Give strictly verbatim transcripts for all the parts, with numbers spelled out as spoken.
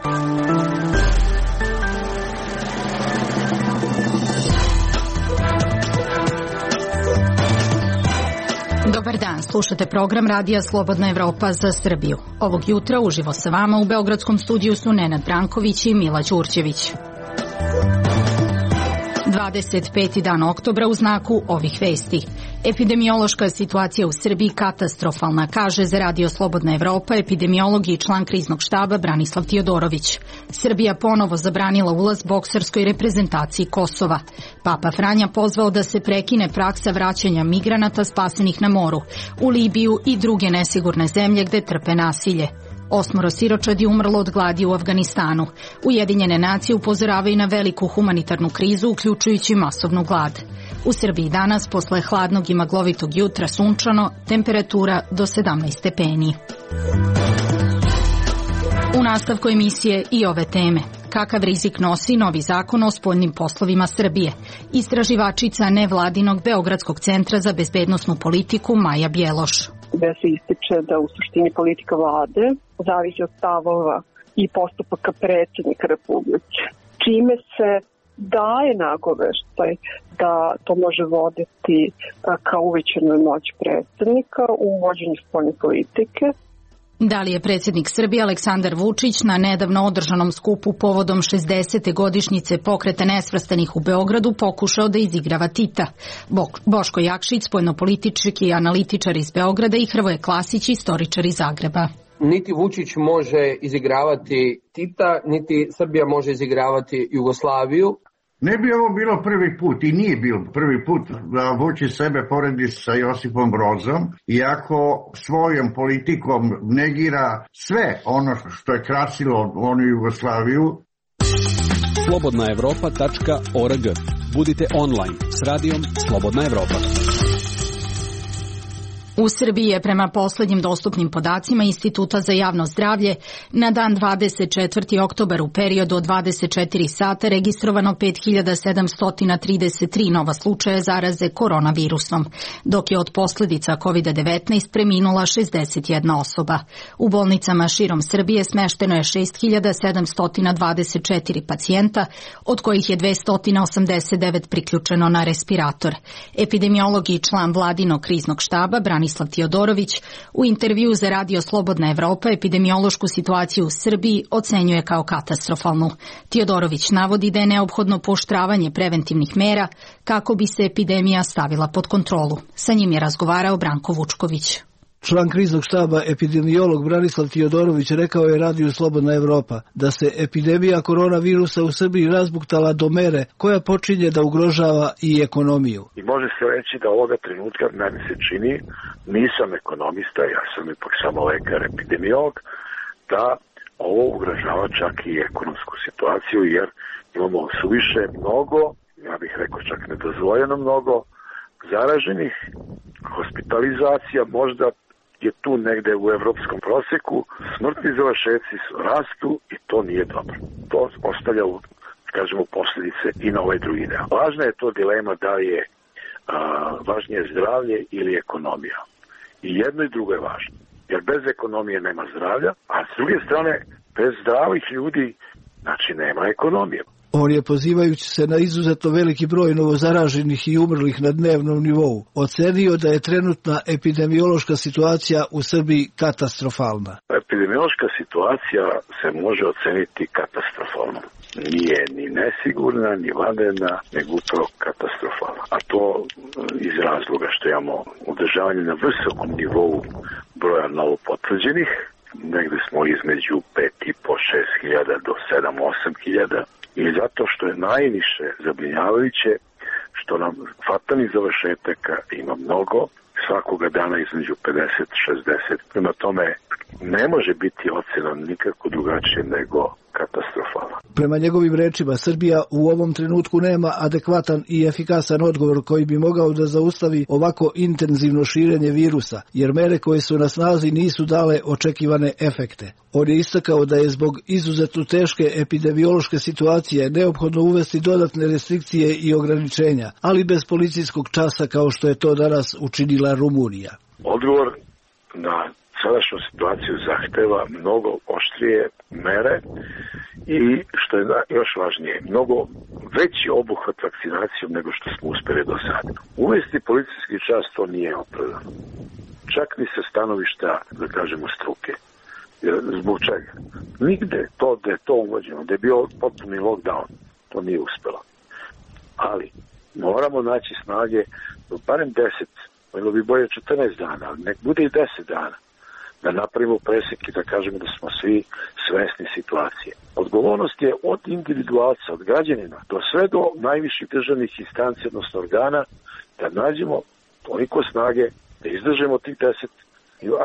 Dobar dan, slušate program Radija Slobodna Evropa za Srbiju. Ovog jutra uživo sa vama u Beogradskom studiju su Nenad Branković i Mila Ćurćević. dvadeset peti dan oktobra u znaku ovih vesti. Epidemiološka situacija u Srbiji katastrofalna, kaže za Radio Slobodna Evropa epidemiolog i član kriznog štaba Branislav Tiodorović. Srbija ponovo zabranila ulaz bokserskoj reprezentaciji Kosova. Papa Franja pozvao da se prekine praksa vraćanja migranata spasenih na moru u Libiju i druge nesigurne zemlje gde trpe nasilje. Osmoro siročadi umrlo od gladi u Afganistanu. Ujedinjene nacije upozoravaju na veliku humanitarnu krizu, uključujući masovnu glad. U Srbiji danas, posle hladnog i maglovitog jutra, sunčano, temperatura do sedamnaest stepeni. U nastavku emisije i ove teme. Kakav rizik nosi novi zakon o spoljnim poslovima Srbije? Istraživačica nevladinog Beogradskog centra za bezbednosnu politiku Maja Bjeloš. Gde se ističe da u suštini politika vlade zavisi od stavova i postupaka predsjednika Republike, čime se daje nagoveštaj da to može voditi ka uvećanoj moći predsjednika u vođenju spoljne politike. Da li je predsjednik Srbije Aleksandar Vučić na nedavno održanom skupu povodom šezdesete godišnjice Pokreta nesvrstanih u Beogradu pokušao da izigrava Tita? Boško Jakšić, spoljnopolitički analitičar iz Beograda, i Hrvoje Klasić, istoričar iz Zagreba. Niti Vučić može izigravati Tita, niti Srbija može izigravati Jugoslaviju. Ne bi ovo bilo prvi put i nije bilo prvi put da Vučić sebe poredi sa Josipom Brozom, iako svojom politikom negira sve ono što je krasilo onu Jugoslaviju. slobodna evropa tačka org. Budite online s radijom Slobodna Evropa. U Srbiji je prema poslednjim dostupnim podacima Instituta za javno zdravlje na dan dvadeset četvrti oktobar u periodu od dvadeset četiri sata registrovano pet hiljada sedamsto trideset tri nova slučaja zaraze koronavirusom, dok je od posledica kovid devetnaest preminula šezdeset jedna osoba. U bolnicama širom Srbije smešteno je šest hiljada sedamsto dvadeset četiri pacijenta, od kojih je dvesta osamdeset devet priključeno na respirator. Epidemiolog i član vladinog kriznog štaba Branislav Tiodorović u intervju za Radio Slobodna Evropa epidemiološku situaciju u Srbiji ocenjuje kao katastrofalnu. Tiodorović navodi da je neophodno pooštravanje preventivnih mera kako bi se epidemija stavila pod kontrolu. Sa njim je razgovarao Branko Vučković. Član kriznog štaba epidemiolog Branislav Tiodorović rekao je Radiju Slobodna Evropa da se epidemija koronavirusa u Srbiji razbuktala do mere koja počinje da ugrožava i ekonomiju. I može se reći da ovoga trenutka, meni se čini, nisam ekonomista, ja sam ipak samo lekar epidemiolog, da ovo ugrožava čak i ekonomsku situaciju, jer imamo suviše mnogo, ja bih rekao čak nedozvoljeno mnogo, zaraženih, hospitalizacija, možda je tu negde u evropskom proseku, smrtni završetci rastu i to nije dobro. To ostavlja, kažemo, posljedice i na ovaj drugi deo. Važna je to dilema da li je a, važnije zdravlje ili ekonomija. I jedno i drugo je važno, jer bez ekonomije nema zdravlja, a s druge strane, bez zdravih ljudi, znači nema ekonomije. On je, pozivajući se na izuzetno veliki broj novozaraženih i umrlih na dnevnom nivou, ocenio da je trenutna epidemiološka situacija u Srbiji katastrofalna. Epidemiološka situacija se može oceniti katastrofalno. Nije ni nesigurna, ni vanredna, nego upravo katastrofalna. A to iz razloga što imamo održavanje na visokom nivou broja novopotvrđenih, negde smo između pet i po šest hiljada do sedam osam hiljada. I zato što je najviše zabrinjavajuće što nam fatalnih završetaka ima mnogo, svakoga dana između pedeset i šezdeset. Prema tome ne može biti ocena nikako drugačije nego katastrofalna. Prema njegovim rečima, Srbija u ovom trenutku nema adekvatan i efikasan odgovor koji bi mogao da zaustavi ovako intenzivno širenje virusa, jer mere koje su na snazi nisu dale očekivane efekte. On je istakao da je zbog izuzetno teške epidemiološke situacije neophodno uvesti dodatne restrikcije i ograničenja, ali bez policijskog časa kao što je to danas učinila Rumunija. Odgovor na sadašnju situaciju zahteva mnogo oštrije mere i, što je još važnije, mnogo veći obuhvat vakcinacijom nego što smo uspeli do sada. Uvesti policijski čas to nije opravdano. Čak ni sa stanovišta, da kažemo, struke. Zbog čega? Nigde to da je to uvođeno, da je bio potpuni lockdown, to nije uspelo. Ali moramo naći snage do barem deset, bilo bi bolje četrnaest dana, ali nek bude i deset dana, da napravimo presek i da kažemo da smo svi svesni situacije. Odgovornost je od individualca, od građanina, do sve do najviših državnih instanci, odnosno organa, da nađemo toliko snage, da izdržemo tih deset,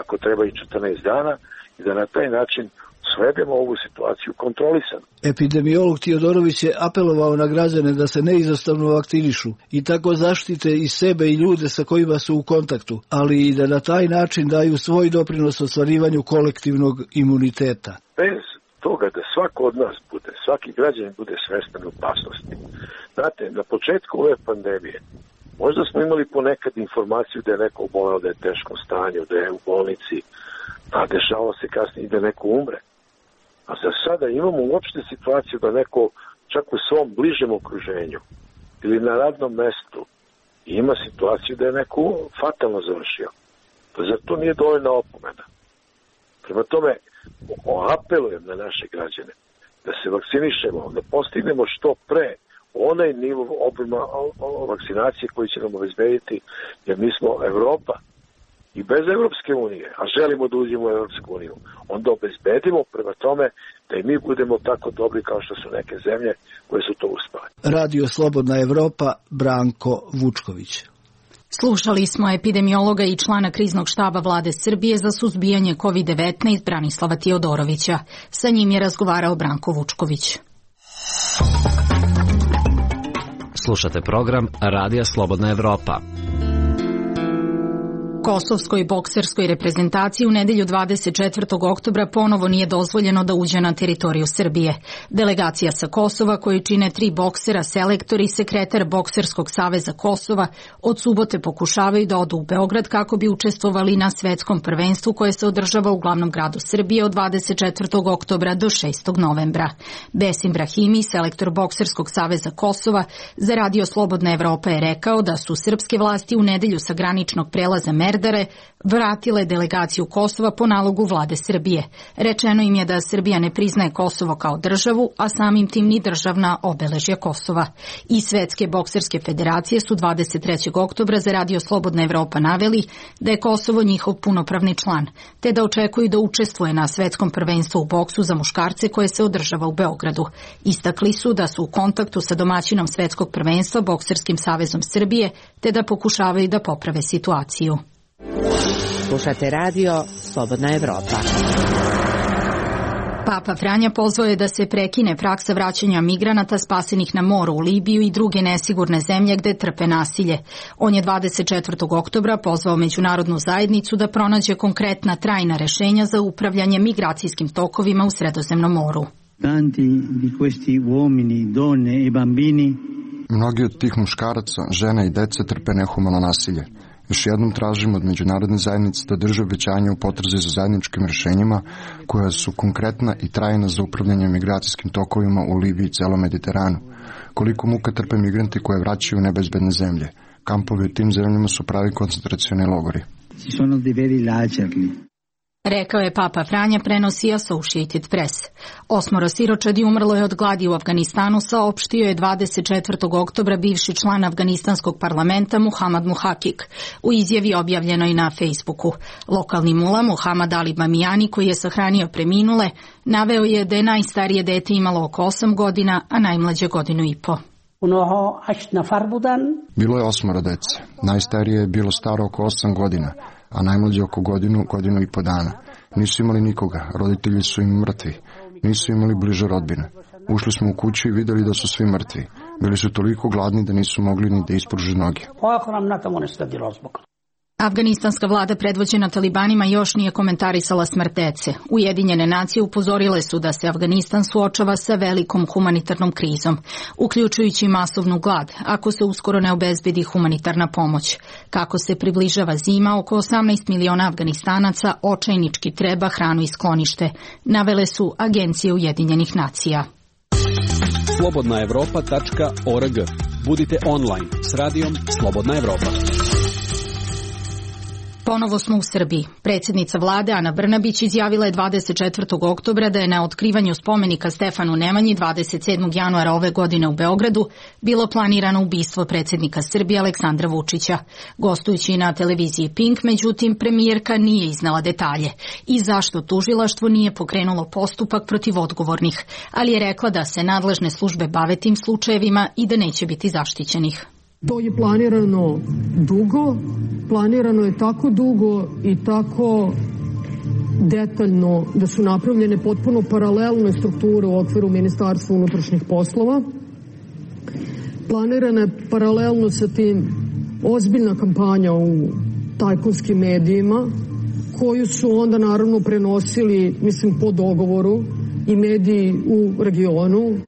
ako treba i četrnaest dana, i da na taj način svedemo ovu situaciju kontrolisano. Epidemiolog Tiodorović je apelovao na građane da se neizostavno vakcinišu i tako zaštite i sebe i ljude sa kojima su u kontaktu, ali i da na taj način daju svoj doprinos ostvarivanju kolektivnog imuniteta. Bez toga da svako od nas bude, svaki građanin bude svestan opasnosti. Znate, na početku ove pandemije možda smo imali ponekad informaciju da je neko oboleo, da je u teškom stanju, da je u bolnici, a dešavalo se kasnije i da neko umre. A za sada imamo uopšte situaciju da neko čak u svom bližem okruženju ili na radnom mestu ima situaciju da je neko fatalno završio. Pa zar to nije dovoljna opomena? Prema tome, apelujem na naše građane da se vakcinišemo, da postignemo što pre onaj nivo obima vakcinacije koji će nam obezbediti, jer mi smo Evropa i bez Evropske unije, a želimo da uđemo u Evropsku uniju, onda obezbedimo prema tome da i mi budemo tako dobri kao što su neke zemlje koje su to uspale. Radio Slobodna Evropa, Branko Vučković. Slušali smo epidemiologa i člana kriznog štaba Vlade Srbije za suzbijanje kovid devetnaest Branislava Tiodorovića. Sa njim je razgovarao Branko Vučković. Slušate program Radija Slobodna Evropa. Kosovskoj bokserskoj reprezentaciji u nedelju dvadeset četvrtog oktobra ponovo nije dozvoljeno da uđe na teritoriju Srbije. Delegacija sa Kosova, koju čine tri boksera, selektor i sekretar Bokserskog saveza Kosova, od subote pokušavaju da odu u Beograd kako bi učestvovali na svetskom prvenstvu koje se održava u glavnom gradu Srbije od dvadeset četvrtog oktobra do šestog novembra. Besim Brahimi, selektor Bokserskog saveza Kosova, za Radio Slobodna Evropa je rekao da su srpske vlasti u nedelju sa graničnog prelaza Merdare vratile delegaciju Kosova po nalogu vlade Srbije. Rečeno im je da Srbija ne priznaje Kosovo kao državu, a samim tim ni državna obeležja Kosova. I Svetske bokserske federacije su dvadeset trećeg oktobra za Radio Slobodna Evropa naveli da je Kosovo njihov punopravni član, te da očekuju da učestvuje na svetskom prvenstvu u boksu za muškarce koje se održava u Beogradu. Istakli su da su u kontaktu sa domaćinom svetskog prvenstva Bokserskim savezom Srbije, te da pokušavaju da poprave situaciju. Slušate radio Slobodna Evropa. Papa Franja pozvao je da se prekine praksa vraćanja migranata spasenih na moru u Libiju i druge nesigurne zemlje gde trpe nasilje. On je dvadeset četvrtog oktobra pozvao međunarodnu zajednicu da pronađe konkretna trajna rešenja za upravljanje migracijskim tokovima u Sredozemnom moru. Tanti di questi uomini, donne e bambini. Mnogi od tih muškaraca, žena i dece trpe nehumano nasilje. Još jednom tražimo od međunarodne zajednice da drže obećanje u potrazi za zajedničkim rešenjima koja su konkretna i trajna za upravljanje migracijskim tokovima u Libiji i celom Mediteranu. Koliko muka trpe migranti koje vraćaju u nebezbedne zemlje. Kampovi u tim zemljama su pravi koncentracioni logori. Ci sono dei veri lagerli. Rekao je Papa Franja, prenosi Associated Press. Osmoro siročadi umrlo je od gladi u Afganistanu, saopštio je dvadeset četvrtog oktobra bivši član afganistanskog parlamenta Muhamad Muhakik u izjavi objavljenoj na Facebooku. Lokalni mula Muhamad Ali Bamijani, koji je sahranio preminule, naveo je da je najstarije dete imalo oko osam godina, a najmlađe godinu i po. Bilo je osmoro dece. Najstarije je bilo staro oko osam godina, a najmlađe oko godinu, godinu i po dana. Nisu imali nikoga, roditelji su im mrtvi. Nisu imali bliže rodbine. Ušli smo u kuću i videli da su svi mrtvi. Bili su toliko gladni da nisu mogli ni da ispruže noge. Afganistanska vlada predvođena talibanima još nije komentarisala smrt dece. Ujedinjene nacije upozorile su da se Afganistan suočava sa velikom humanitarnom krizom, uključujući masovnu glad, ako se uskoro ne obezbedi humanitarna pomoć. Kako se približava zima, oko osamnaest miliona Afganistanaca očajnički treba hranu i sklonište, navele su agencije Ujedinjenih nacija. slobodna evropa tačka org. Budite online s radijom Slobodna Evropa. Ponovo smo u Srbiji. Predsjednica vlade Ana Brnabić izjavila je dvadeset četvrtog oktobra da je na otkrivanju spomenika Stefanu Nemanji dvadeset sedmog januara ove godine u Beogradu bilo planirano ubistvo predsjednika Srbije Aleksandra Vučića. Gostujući na televiziji Pink, međutim, premijerka nije iznala detalje i zašto tužilaštvo nije pokrenulo postupak protiv odgovornih, ali je rekla da se nadležne službe bave tim slučajevima i da neće biti zaštićenih. To je planirano dugo, planirano je tako dugo i tako detaljno da su napravljene potpuno paralelne strukture u okviru Ministarstva unutrašnjih poslova. Planirana je paralelno sa tim ozbiljna kampanja u tajkunskim medijima, koju su onda naravno prenosili, mislim, po dogovoru i mediji u regionu.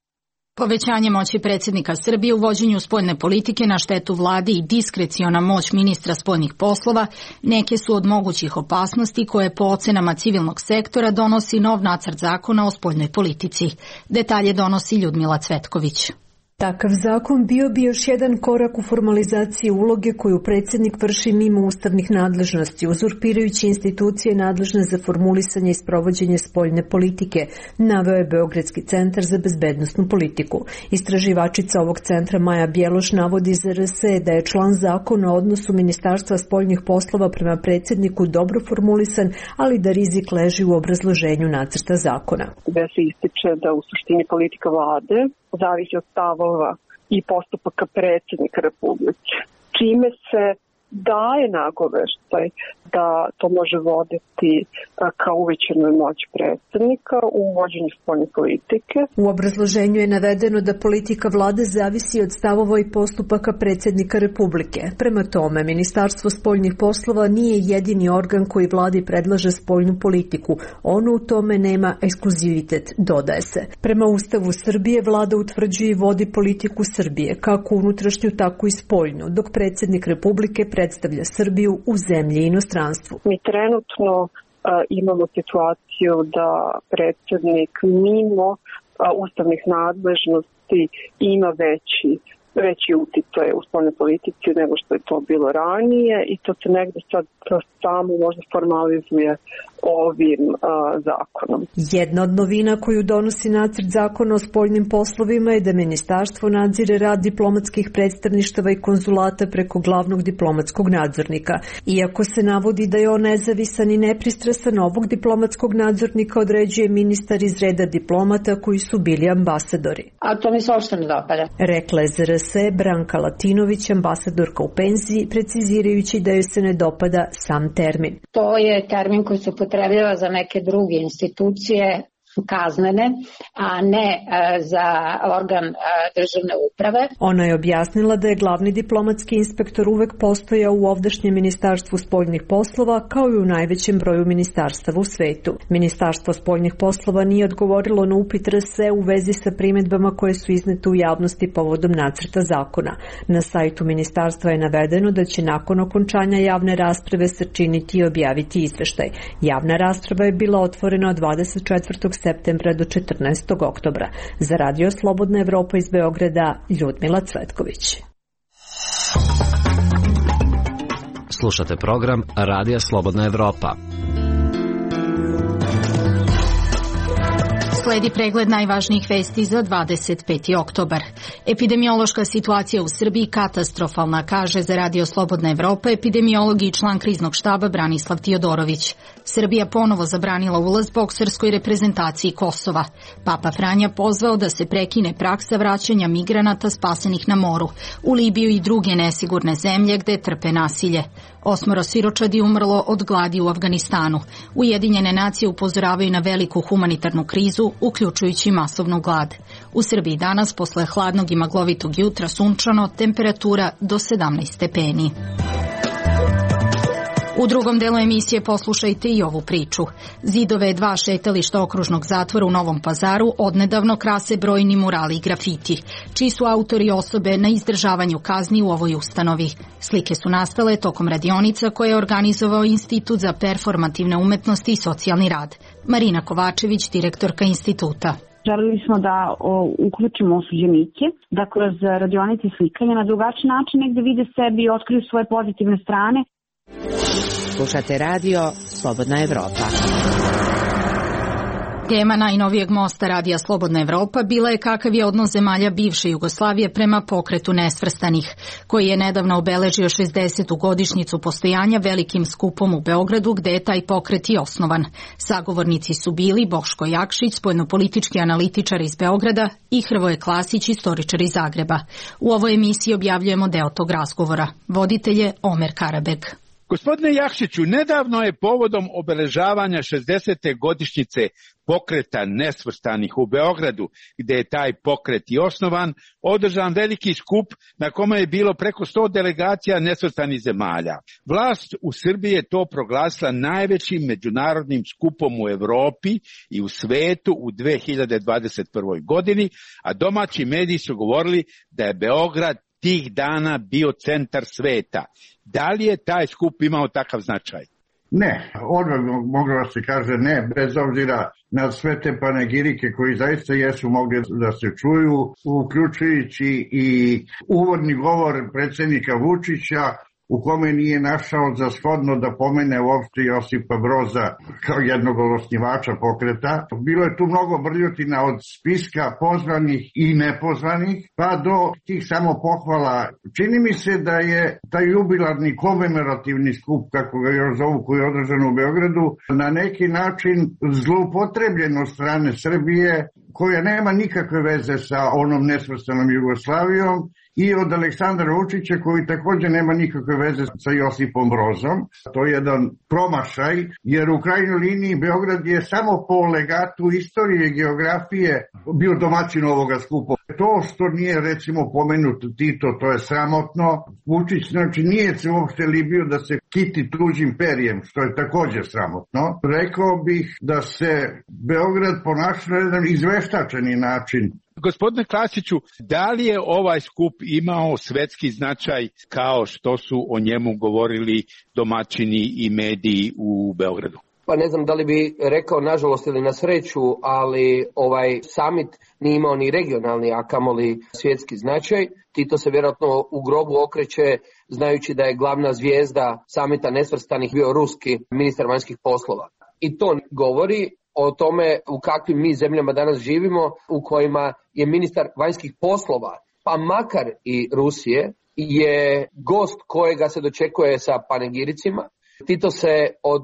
Povećanje moći predsjednika Srbije u vođenju spoljne politike na štetu vlade i diskreciona moć ministra spoljnih poslova neke su od mogućih opasnosti koje po ocenama civilnog sektora donosi nov nacrt zakona o spoljnoj politici. Detalje donosi Ljudmila Cvetković. Takav zakon bio bi još jedan korak u formalizaciji uloge koju predsjednik vrši mimo ustavnih nadležnosti, uzurpirajući institucije nadležne za formulisanje i sprovođenje spoljne politike, naveo je Beogradski centar za bezbednosnu politiku. Istraživačica ovog centra Maja Bjeloš navodi za R S da je član zakona o odnosu Ministarstva spoljnih poslova prema predsjedniku dobro formulisan, ali da rizik leži u obrazloženju nacrta zakona. Gde se ističe da u suštini politika vlade zavisi od stavova i postupaka predsjednika Republike, čime se daje nagoveštaj da to može voditi ka uvećanoj moći predsjednika u vođenju spoljne politike. U obrazloženju je navedeno da politika vlade zavisi od stavova i postupaka predsjednika Republike. Prema tome, Ministarstvo spoljnih poslova nije jedini organ koji vladi predlaže spoljnu politiku. Ono u tome nema ekskluzivitet, dodaje se. Prema Ustavu Srbije vlada utvrđuje i vodi politiku Srbije, kako unutrašnju, tako i spoljnu, dok predsjednik Republike predstavlja Srbiju u zemlji i inostranstvu. Mi trenutno uh, imamo situaciju da predsjednik mimo uh, ustavnih nadležnosti ima veći veći uticaj u spoljnoj politici nego što je to bilo ranije i to se negde sad samo možda formalizuje ovim uh, zakonom. Jedna od novina koju donosi nacrt zakona o spoljnim poslovima je da ministarstvo nadzire rad diplomatskih predstavništava i konzulata preko glavnog diplomatskog nadzornika. Iako se navodi da je on nezavisan i nepristrasan, ovog diplomatskog nadzornika određuje ministar iz reda diplomata koji su bili ambasadori. A to mi se uopšte ne dopada. Rekla je za R S Branka Latinović, ambasadorka u penziji, precizirajući da joj se ne dopada sam termin. To je termin koji se upotrebljava za neke druge institucije kaznene, a ne za organ državne uprave. Ona je objasnila da je glavni diplomatski inspektor uvek postojao u ovdašnjem Ministarstvu spoljnih poslova kao i u najvećem broju ministarstava u svetu. Ministarstvo spoljnih poslova nije odgovorilo na upit R S u vezi sa primedbama koje su iznete u javnosti povodom nacrta zakona. Na sajtu ministarstva je navedeno da će nakon okončanja javne rasprave sačiniti i objaviti izveštaj. Javna rasprava je bila otvorena od dvadeset četvrtog septembra do četrnaestog oktobra. Za Radio Slobodna Evropa iz Beograda, Ljudmila Cvetković. Slušate program Radija Slobodna Evropa. Sledi pregled najvažnijih vesti za dvadeset peti oktobar. Epidemiološka situacija u Srbiji katastrofalna, kaže za Radio Slobodna Evropa epidemiolog i član kriznog štaba Branislav Tiodorović. Srbija ponovo zabranila ulaz bokserskoj reprezentaciji Kosova. Papa Franja pozvao da se prekine praksa vraćanja migranata spasenih na moru u Libiju i druge nesigurne zemlje gde trpe nasilje. Osmoro siročadi umrlo od gladi u Afganistanu. Ujedinjene nacije upozoravaju na veliku humanitarnu krizu, uključujući masovnu glad. U Srbiji danas, posle hladnog i maglovitog jutra, sunčano, temperatura do sedamnaest stepeni. U drugom delu emisije poslušajte i ovu priču. Zidove dva šetališta okružnog zatvora u Novom Pazaru odnedavno krase brojni murali i grafiti, čiji su autori osobe na izdržavanju kazni u ovoj ustanovi. Slike su nastale tokom radionica koje je organizovao Institut za performativne umetnosti i socijalni rad. Marina Kovačević, direktorka instituta. Želeli smo da o, uključimo osuđenike, da kroz radionice slikanja na drugačiji način negde vide sebi i otkriju svoje pozitivne strane. Slušate radio Slobodna Evropa. Tema najnovijeg mosta Radija Slobodna Evropa bila je kakav je odnos zemalja bivše Jugoslavije prema pokretu nesvrstanih, koji je nedavno obeležio šezdesetu godišnjicu postojanja velikim skupom u Beogradu, gde je taj pokret i osnovan. Sagovornici su bili Boško Jakšić, spoljnopolitički analitičar iz Beograda, i Hrvoje Klasić, istoričar iz Zagreba. U ovoj emisiji objavljujemo deo tog razgovora. Voditelj je Omer Karabek. Gospodine Jakšiću, nedavno je povodom obeležavanja šezdesete godišnjice pokreta nesvrstanih u Beogradu, gde je taj pokret i osnovan, održan veliki skup na kome je bilo preko sto delegacija nesvrstanih zemalja. Vlast u Srbiji je to proglasila najvećim međunarodnim skupom u Evropi i u svetu u dve hiljade dvadeset prvoj godini, a domaći mediji su govorili da je Beograd tih dana bio centar sveta. Da li je taj skup imao takav značaj? Ne, odmah moglo da se kaže ne, bez obzira na sve te panegirike koji zaista jesu mogli da se čuju, uključujući i uvodni govor predsjednika Vučića, u kome nije našao za shodno da pomene uopšte Josipa Broza kao jednog od osnivača pokreta. Bilo je tu mnogo brljotina od spiska pozvanih i nepozvanih, pa do tih samo pohvala. Čini mi se da je taj jubilarni komemorativni skup, kako ga još zovu, koji je održan u Beogradu, na neki način zloupotrebljen od strane Srbije, koja nema nikakve veze sa onom nesvrstanom Jugoslavijom, i od Aleksandra Vučića, koji također nema nikakve veze sa Josipom Brozom. To je jedan promašaj, jer u krajnjoj liniji Beograd je samo po legatu istorije i geografije bio domaćin ovoga skupa. To što nije recimo pomenut Tito, to je sramotno. Vučić znači nije se uopšte libio da se kiti tuđim perijem, što je također sramotno. Rekao bih da se Beograd ponaša na jedan izveštačeni način. Gospodine Klasiću, da li je ovaj skup imao svetski značaj kao što su o njemu govorili domaćini i mediji u Beogradu? Pa ne znam da li bi rekao nažalost ili na sreću, ali ovaj summit nije imao ni regionalni, a kamoli svjetski značaj. Tito se vjerojatno u grobu okreće znajući da je glavna zvijezda samita nesvrstanih bio ruski ministar vanjskih poslova. I to govori o tome u kakvim mi zemljama danas živimo, u kojima je ministar vanjskih poslova, pa makar i Rusije, je gost kojega se dočekuje sa panegiricima. Tito se od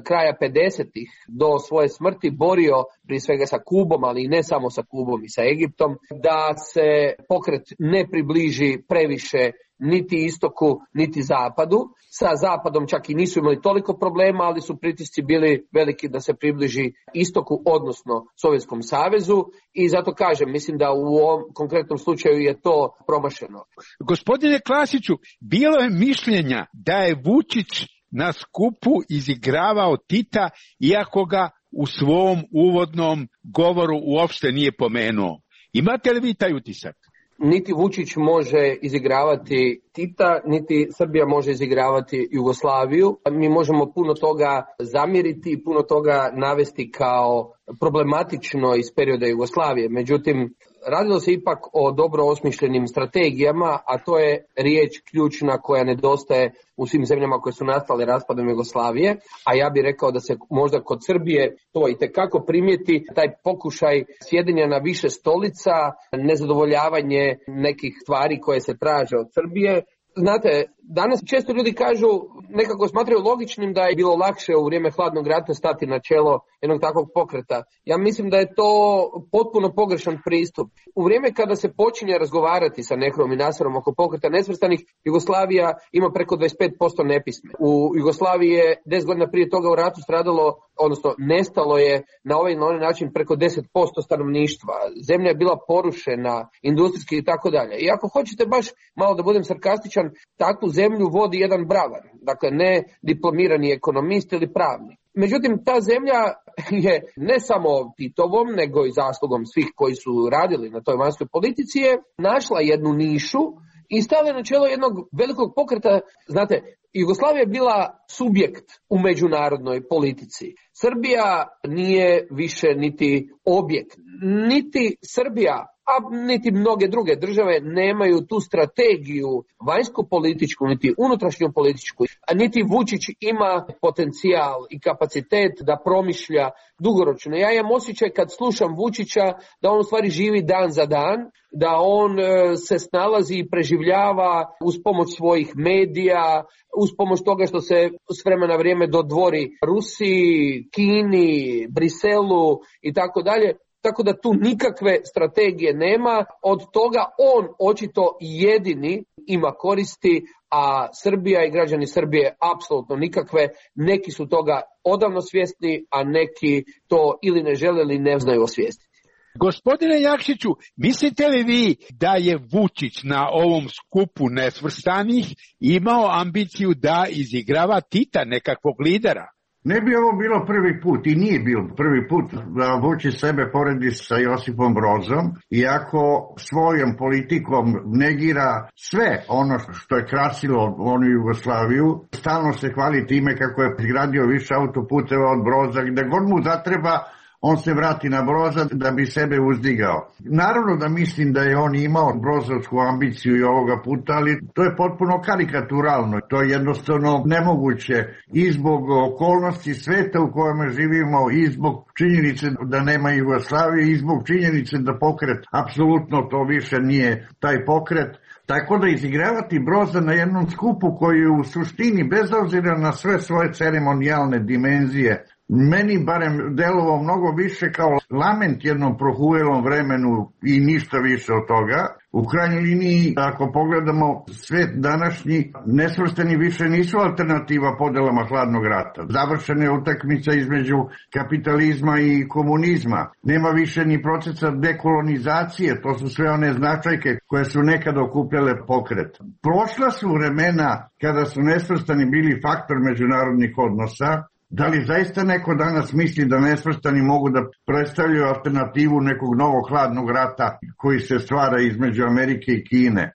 kraja pedesetih do svoje smrti borio prije svega sa Kubom, ali i ne samo sa Kubom i sa Egiptom, da se pokret ne približi previše niti istoku, niti zapadu. Sa zapadom čak i nisu imali toliko problema, ali su pritisci bili veliki da se približi istoku, odnosno Sovjetskom savezu, i zato kažem, mislim da u ovom konkretnom slučaju je to promašeno. Gospodine Klasiću, bilo je mišljenja da je Vučić na skupu izigravao Tita, iako ga u svom uvodnom govoru uopšte nije pomenuo. Imate li vi taj utisak? Niti Vučić može izigravati Tita, niti Srbija može izigravati Jugoslaviju. Mi možemo puno toga zamjeriti i puno toga navesti kao problematično iz perioda Jugoslavije. Međutim, radilo se ipak o dobro osmišljenim strategijama, a to je riječ ključna koja nedostaje u svim zemljama koje su nastale raspadom Jugoslavije, a ja bih rekao da se možda kod Srbije to itekako primijeti, taj pokušaj sjedenja na više stolica, nezadovoljavanje nekih stvari koje se traže od Srbije. Znate, danas često ljudi kažu, nekako smatraju logičnim da je bilo lakše u vrijeme hladnog rata stati na čelo jednog takvog pokreta. Ja mislim da je to potpuno pogrešan pristup. U vrijeme kada se počinje razgovarati sa Nehruom i Naserom oko pokreta nesvrstanih, Jugoslavija ima preko dvadeset pet posto nepisme. U Jugoslaviji je deset godina prije toga u ratu stradalo odnosno nestalo je na ovaj na onaj način preko deset posto stanovništva. Zemlja je bila porušena, industrijski i tako dalje. I ako hoćete baš malo da budem sarkastičan, takvu zemlju vodi jedan bravar, dakle ne diplomirani ekonomist ili pravnik. Međutim, ta zemlja je ne samo Titovom, nego i zaslugom svih koji su radili na toj vanjskoj politici je našla jednu nišu i stavila na čelo jednog velikog pokreta. Znate, Jugoslavija je bila subjekt u međunarodnoj politici. Srbija nije više niti objekt, niti Srbija, a niti mnoge druge države nemaju tu strategiju vanjsko-političku, niti unutrašnju političku, a niti Vučić ima potencijal i kapacitet da promišlja dugoročno. Ja imam osjećaj kad slušam Vučića da on u stvari živi dan za dan, da on se snalazi i preživljava uz pomoć svojih medija, uz pomoć toga što se s vremena na vrijeme dodvori Rusiji, Kini, Briselu i tako dalje. Tako da tu nikakve strategije nema, od toga on očito jedini ima koristi, a Srbija i građani Srbije apsolutno nikakve. Neki su toga odavno svjesni, a neki to ili ne žele ili ne znaju osvijestiti. Gospodine Jakšiću, mislite li vi da je Vučić na ovom skupu nesvrstanih imao ambiciju da izigrava Tita, nekakvog lidera? Ne bi ovo bilo prvi put i nije bilo prvi put da Vučić sebe poredi sa Josipom Brozom, iako svojom politikom negira sve ono što je krasilo onu Jugoslaviju. Stalno se hvali time kako je izgradio više autoputeva od Broza, gde god mu zatreba on se vrati na Broza da bi sebe uzdigao. Naravno da mislim da je on imao brozovsku ambiciju i ovoga puta, ali to je potpuno karikaturalno. To je jednostavno nemoguće i zbog okolnosti sveta u kojem živimo, i zbog činjenice da nema Jugoslavije, i zbog činjenice da pokret apsolutno to više nije taj pokret. Tako da izigravati Broza na jednom skupu koji je u suštini, bez obzira na sve svoje ceremonijalne dimenzije, meni barem delovao mnogo više kao lament jednom prohujelom vremenu i ništa više od toga. U krajnjoj liniji, ako pogledamo svet današnji, nesvrstani više nisu alternativa podelama hladnog rata. Završena je utakmica između kapitalizma i komunizma. Nema više ni procesa dekolonizacije, to su sve one značajke koje su nekad okupljale pokret. Prošla su vremena kada su nesvrstani bili faktor međunarodnih odnosa. Da li zaista neko danas misli da nesvrstani mogu da predstavljaju alternativu nekog novog hladnog rata koji se stvara između Amerike i Kine?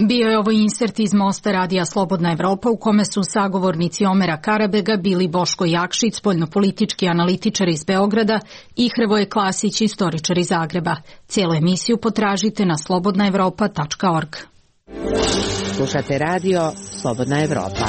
Bio je ovo insert iz Mosta radija Slobodna Evropa u kome su sagovornici Omera Karabega bili Boško Jakšić, spoljnopolitički analitičar iz Beograda, i Hrvoje Klasić, istoričar iz Zagreba. Cijelu emisiju potražite na slobodna evropa tačka org. Slušate radio Slobodna Evropa.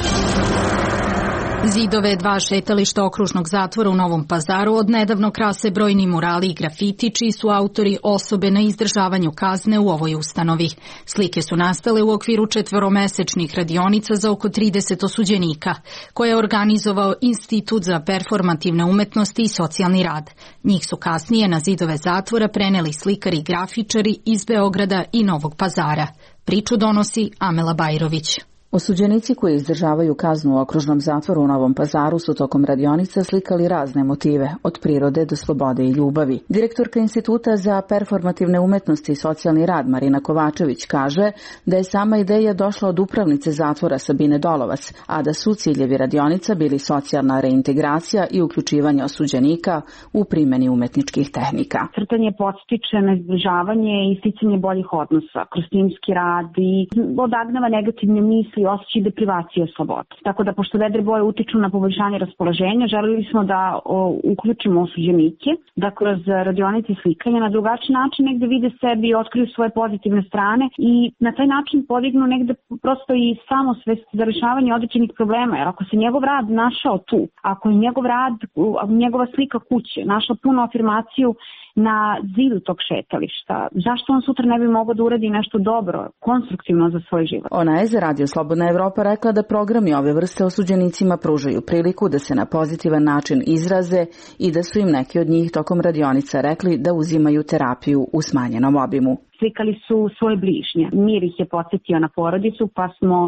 Zidove dva šetališta okružnog zatvora u Novom Pazaru odnedavno krase brojni murali i grafiti, čiji su autori osobe na izdržavanju kazne u ovoj ustanovi. Slike su nastale u okviru četvoromesečnih radionica za oko trideset osuđenika, koje je organizovao Institut za performativne umetnosti i socijalni rad. Njih su kasnije na zidove zatvora preneli slikari i grafičari iz Beograda i Novog Pazara. Priču donosi Amela Bajrović. Osuđenici koji izdržavaju kaznu u okružnom zatvoru u Novom Pazaru su tokom radionica slikali razne motive, od prirode do slobode i ljubavi. Direktorka Instituta za performativne umetnosti i socijalni rad Marina Kovačević kaže da je sama ideja došla od upravnice zatvora Sabine Dolovac, a da su ciljevi radionica bili socijalna reintegracija i uključivanje osuđenika u primjeni umetničkih tehnika. Crtanje podstiče na izdržavanje i sticanje boljih odnosa kroz timski rad i odagnava negativne misli i osjećaj deprivacije slobode. Tako da, pošto vedre boje utiču na poboljšanje raspoloženja, želili smo da o, uključimo osuđenike, da kroz radionice i slikanja na drugačiji način negde vide sebi i otkriju svoje pozitivne strane i na taj način podignu negde prosto i samosvest za rešavanje određenih problema. Jer ako se njegov rad našao tu, ako je njegov rad, njegova slika kuće našla punu afirmaciju na zidu tog šetališta, zašto on sutra ne bi mogao da uradi nešto dobro, konstruktivno za svoj život? Ona je za Radio Slobodna Evropa rekla da programi ove vrste osuđenicima pružaju priliku da se na pozitivan način izraze i da su im neki od njih tokom radionica rekli da uzimaju terapiju u smanjenom obimu. slikali su svoje bližnje. Mir ih je podsjetio na porodicu, pa smo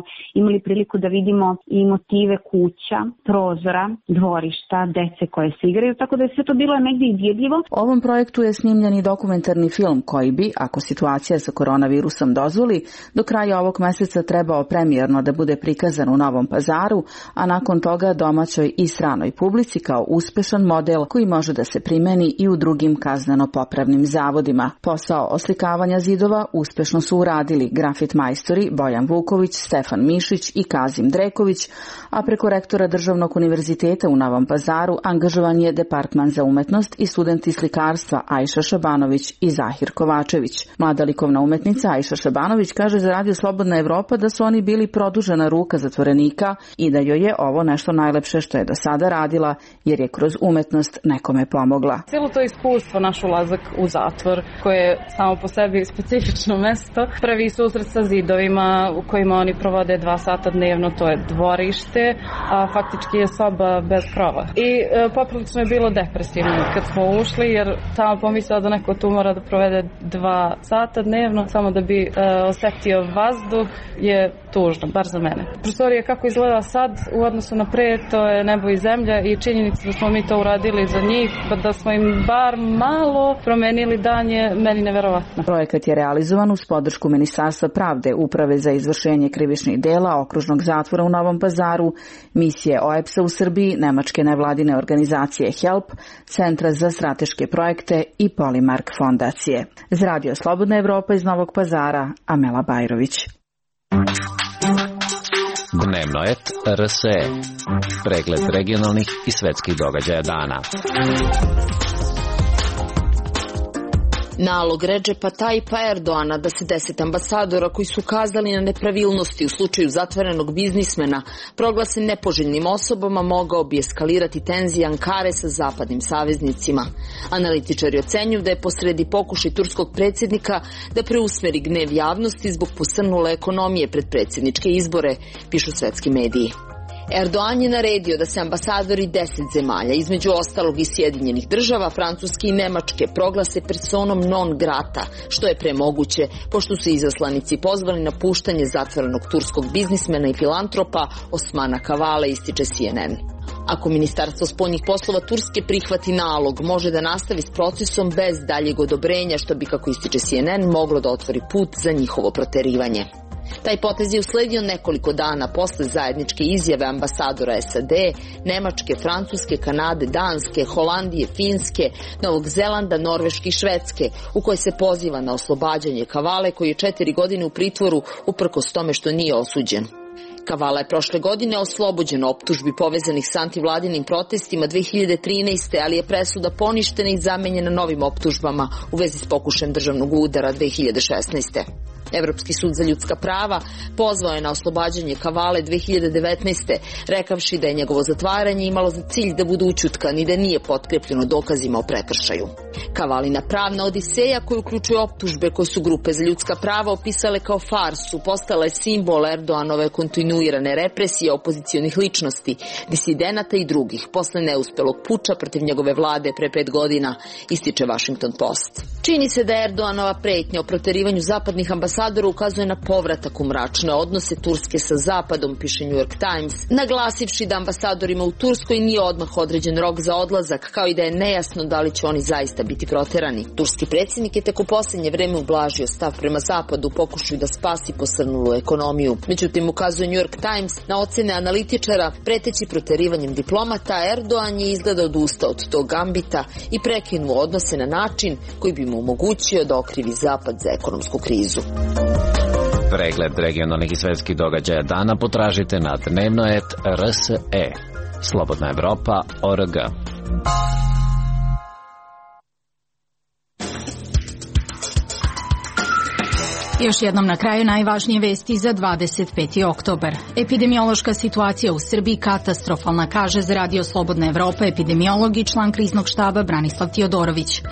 imali priliku da vidimo i motive kuća, prozora, dvorišta, dece koje se igraju, tako da je sve to bilo negdje izjedljivo. U ovom projektu je snimljen i dokumentarni film koji bi, ako situacija sa koronavirusom dozvoli, do kraja ovog meseca trebao premijerno da bude prikazan u Novom Pazaru, a nakon toga domaćoj i stranoj publici kao uspešan model koji može da se primeni i u drugim kazneno-popravnim zavodima. Posao oslikavanja zidova uspešno su uradili grafit majstori Bojan Vuković, Stefan Mišić i Kazim Dreković, a preko rektora Državnog univerziteta u Novom Pazaru angažovan je Departman za umetnost i studenti slikarstva Ajša Šabanović i Zahir Kovačević. Mlada likovna umetnica Ajša Šabanović kaže za Radio Slobodna Evropa da su oni bili produžena ruka zatvorenika i da joj je ovo nešto najlepše što je do sada radila, jer je kroz umetnost nekome pomogla. Cijelo to iskustvo, naš ulazak u zatvor, koje je samo po sebi specifično mesto, prvi susret sa zidovima u kojima oni provode dva sata dnevno, to je dvorište, a faktički je soba bez krova. I e, poprilično je bilo depresivno kad smo ušli, jer tamo pomislila da neko tu mora da provede dva sata dnevno, samo da bi e, osetio vazduh, je tužno, bar za mene. Prostorija kako izgleda sad u odnosu na pre, to je nebo i zemlja i činjenica da smo mi to uradili za njih, pa da smo im bar malo promenili dan je meni neverovatno. Projekat je realizovan uz podršku Ministarstva pravde, Uprave za izvršenje krivičnih dela, Okružnog zatvora u Novom Pazaru, misije O E P S-a u Srbiji, nemačke nevladine organizacije HELP, Centra za strateške projekte i Polimark fondacije. Za Radio Slobodna Evropa iz Novog Pazara, Amela Bajrović. Dnevno et R S E. Pregled regionalnih i svetskih događaja dana. Nalog Redžepa Tajipa Erdoana da se deset ambasadora koji su ukazali na nepravilnosti u slučaju zatvorenog biznismena proglase nepoželjnim osobama mogao bi eskalirati tenzije Ankare sa zapadnim saveznicima. Analitičari ocenjuju da je posredi pokušaj turskog predsjednika da preusmeri gnev javnosti zbog posrnule ekonomije pred predsjedničke izbore, pišu svetski mediji. Erdoan je naredio da se ambasadori deset zemalja, između ostalog i Sjedinjenih država, Francuske i Nemačke, proglase personom non grata, što je premoguće, pošto su izaslanici pozvali na puštanje zatvorenog turskog biznismena i filantropa Osmana Kavale, ističe C N N. Ako Ministarstvo spoljnih poslova Turske prihvati nalog, može da nastavi s procesom bez daljeg odobrenja, što bi, kako ističe C N N, moglo da otvori put za njihovo proterivanje. Taj potez je usledio nekoliko dana posle zajedničke izjave ambasadora S A D, Nemačke, Francuske, Kanade, Danske, Holandije, Finske, Novog Zelanda, Norveške i Švedske, u kojoj se poziva na oslobađanje Kavale, koji je četiri godine u pritvoru uprkos tome što nije osuđen. Kavala je prošle godine oslobođen optužbi povezanih s antivladinim protestima dve hiljade trinaeste. ali je presuda poništena i zamenjena novim optužbama u vezi s pokušajem državnog udara dve hiljade šesnaeste. Evropski sud za ljudska prava pozvao je na oslobađanje Kavale dve hiljade devetnaeste. rekavši da je njegovo zatvaranje imalo za cilj da bude ućutkan i da nije potkrepljeno dokazima o prekršaju. Kavalina pravna odiseja, koja uključuje optužbe koje su grupe za ljudska prava opisale kao farsu, postala je simbol Erdoanove kontinuirane represije opozicionih ličnosti, disidenata i drugih posle neuspelog puča protiv njegove vlade pre pet godina, ističe Washington Post. Čini se da Erdoanova pretnja o proterivanju zapadnih ambasadora ukazuje na povratak u mračne odnose Turske sa Zapadom, piše New York Times, naglasivši da ambasadorima u Turskoj nije odmah određen rok za odlazak, kao i da je nejasno da li će oni zaista biti proterani. Turski predsjednik je tek u posljednje vreme ublažio stav prema Zapadu, pokušaju da spasi posrnulu ekonomiju. Međutim, ukazuje New York Times na ocene analitičara, preteći proterivanjem diplomata, Erdoan je izgleda odustao od tog gambita i prekinuo odnose na način koji bi mu omogućio da okrivi Zapad za ekonomsku krizu. Pregled regionalnih i svetskih događaja dana potražite na dnevno et R S E. Slobodna Evropa, O R G. Još jednom na kraju najvažnije vesti za dvadeset peti oktobar. Epidemiološka situacija u Srbiji katastrofalna, kaže za Radio Slobodna Evropa epidemiolog i član kriznog štaba Branislav Tiodorović.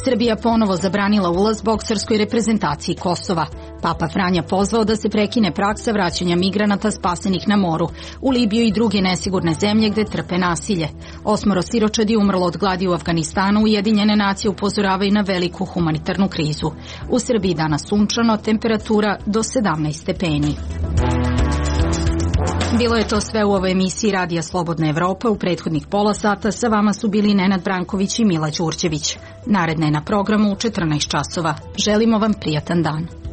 Srbija ponovo zabranila ulaz bokserskoj reprezentaciji Kosova. Papa Franja pozvao da se prekine praksa vraćanja migranata spasenih na moru u Libiju i druge nesigurne zemlje gde trpe nasilje. Osmoro siročadi umrlo od gladi u Afganistanu, Ujedinjene nacije upozoravaju na veliku humanitarnu krizu. U Srbiji danas sunčano, temperatura do sedamnaest stepeni. Bilo je to sve u ovoj emisiji Radija Slobodna Evropa. U prethodnih pola sata sa vama su bili Nenad Branković i Mila Đurđević. Naredna je na programu u četrnaest časova. Želimo vam prijatan dan.